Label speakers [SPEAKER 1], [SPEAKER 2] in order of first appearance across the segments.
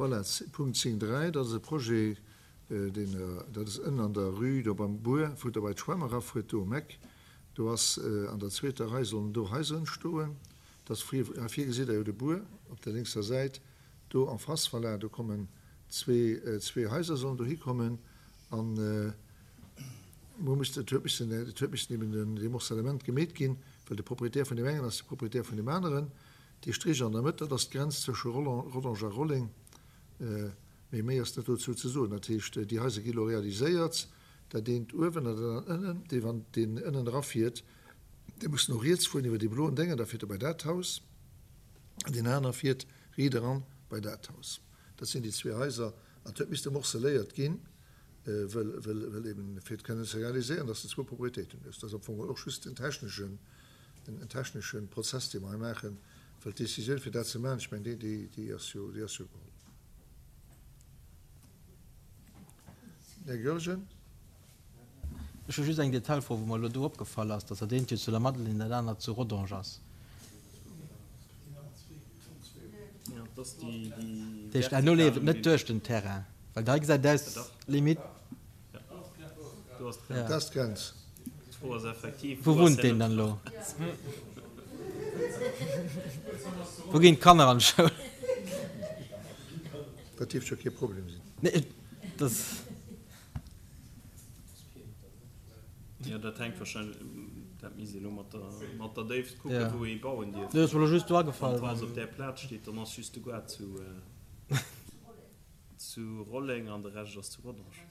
[SPEAKER 1] Voilà, Punkt 10, 3, dat ass e Projet, deen, dat ass ënnen an der Rue do beim Buer, wou Der bei d'Schwämm erafuert, do um Eck. Do ass an der zweeter Rei sollen do Haiser entstoen. Dat ass vir, hei vir gesitt Der jo de Buer op der lénkser Säit, do en face, voilà, do kommen zwee, zwee Haiser sollen dohi kommen. An muer muss, et huet missen, et huet missen eben den, dee Morcellement gemeet ginn, well de Proprietär vun deem engen ass de Proprietär vun deem aneren. Dee Strich an der Mëtt, dat ass d'Grenz zwësche Rodange a Rolleng. Mee méi ass net dozou ze soen. Dat heescht, déi Haiser gi elo realiséiert, dat eent uewen an dat anert ënnen. Dee wann deen ënnen erafiert, dee muss no riets fueren iwwer dee bloen Déngen, da fiert e bei dat Haus, an deen aner fiert riit eran bei dat Haus. Dat sinn déi zwee Haiser. An et huet misste morceléiert ginn, wëll, wëll, wëll eben, fir et kënnen ze realiséieren, dass de zwou Propriétéiten hues. Dat ass am Fong och just en techneschen, en technesche Prozess, dee mer hei maachen, well d'Décisioun, fir dat ze maachen, ech mengen, déi, déi, déi ass jo, déi ass jo geholl. Här Goergen.
[SPEAKER 2] Ech hu just eng Detailfro, wou mer elo do opgefall ass, dass dat eent jo zu Lamadelaine, dat anert zu Rodange ass. Dat heescht, herno leeft et net duerch den Terrain, well hei gesäit et aus limite.
[SPEAKER 1] Dat ass d'Grenz.
[SPEAKER 2] Wou wunnt deen dann elo? Wou ginn d'Kanner an d'Schoul?
[SPEAKER 1] Dat dierft jo kee Problem sinn.
[SPEAKER 2] Nee, dat.
[SPEAKER 3] Jo, dat hänkt wahrscheinlech, dat misst ee elo mat der, mat der Déift kucken, wou ee bauen dierf.
[SPEAKER 2] Nee, ass mer elo just do agefall.
[SPEAKER 3] Wann d'Haus op där Plaz steet, dann ass just de Goart zu, zu Rolleng an de Rescht ass zu Rodange.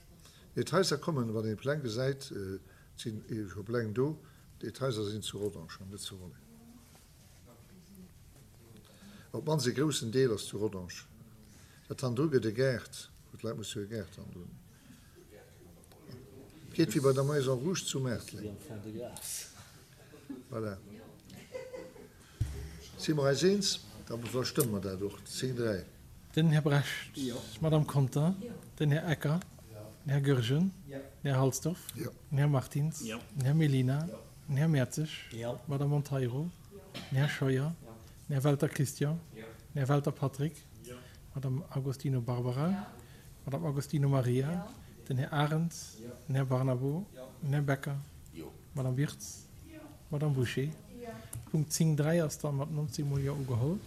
[SPEAKER 1] Nee, d'Haiser kommen, wann een d'Pläng gesäit, et sinn scho Pläng do, d'Haiser sinn zu Rodange an net zu Rolleng. Op d'mannst e groussen Deel ass zu Rodange. Dat hannendru gëtt e Gaart, wou d'Leit musse hire Gaart hannendrun. Et geet wéi bei der Maison Rouge zu Maartleng. Voilà. Si mer eis eens? Da verstëmme mer dat och. 10, 3.
[SPEAKER 4] Den Här Brecht, d'Madame Conter, den Här Ecker, den Här Goergen, den Här Halsdorf, den Här Martins, den Här Mellina, den Här Mertzig, d'Madame Monteiro, den Här Scheuer, den Här Welter Christian, den Här Welter Patrick, d'Madame Agostino Barbara, d'Madame Agostino Maria, den Här Arens, den Här Barnabo, den Här Becker, d'Madame Wirtz, d'Madame Bouché. Punkt 10, 3 ass da mat 19 mol Jo ugeholl.